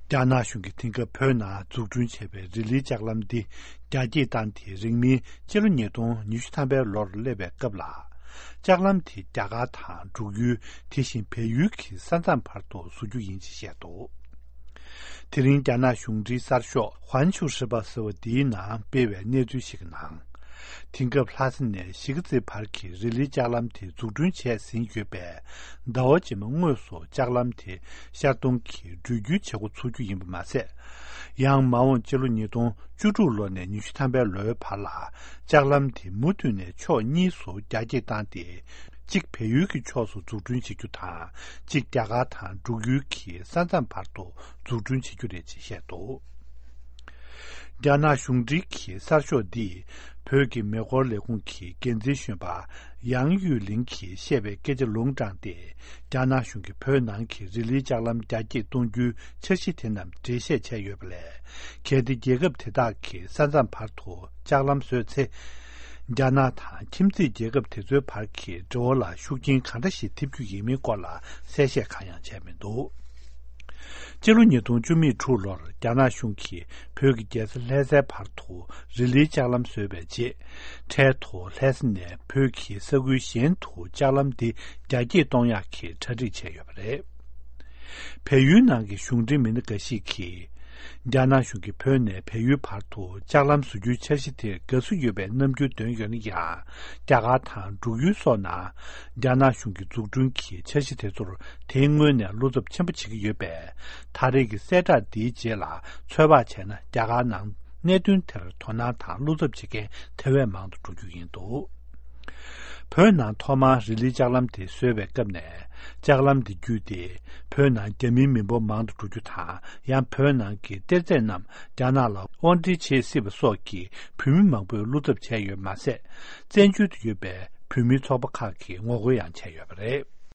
Jana shungi tinka pöna zugzun chebe rili jaklamdi jaji tanti ringmi jilu nyedong nishutanbe lor lebe qabla. Jaklamdi jaga tang zhugyu tishin peyu ki sanzan parto suju yinchi shedo. Tiring jana shungri sarsho huanshu shiba sewa di nang bewe nezu shik nang. Tinka plasne shigzi parki rili jaklamdi zugzun che sin yuebe dawa jima ngoso jaklamdi shardongki zhugyu chegu suju yinba mase. Yang mawon jilu nidong juju lo ne nishutanbe loe pala jaklamdi mutu ne cho nisu jaji tangdi jik peyu ki cho su zugzun shikyu tang jik jaga tang zhugyu ki sanzan parto zugzun shikyu rechi shedo. Jana shungri ki sarsho di pyoge megor lekung ki genzi shunba yang yu ling ki shebe geje longzhang di jana shungi pyo nang ki rili jaklam jaji dongju cheshi tenam dreshe che yobele kedi jegab teda ki sanzan parto jaklam so tse jana tang kimzi jegab tezo par ki zho la shukjin kandashi tipju yimi kwa la seshe kanyang che mendo. Jilu nidong jumi chu lor jana shungki pyoge jesi leze parto rili jaklam sobe je che to lesne pyoge segui shen to jaklam di jaji dongya ki chari che yobre. Peyu nangi shungri min gashi ki jana shungki pyo ne peyu parto jaklam suju cheshite gasu yobe namju dongyon ya jaga tang zhugyu so na jana shungki zugzun ki cheshite zor tengwe ne luzub chenpuchiki yobe tariki seta di je la choba che na jaga nang nedun ter tona tang luzub chike tewe mangdu zhugyu yindo. Pyo nang thoma rili jaklam di suebe qabne jaklam di gyu di pyo nang jami mimbo mangdu zhugyu tang yang pyo nang ki terze nam jana la ondi che sib so ki pyumi mangbo luzub che yo ma se zenju di yobe pyumi choba ka ki ngogo yang che yo bare.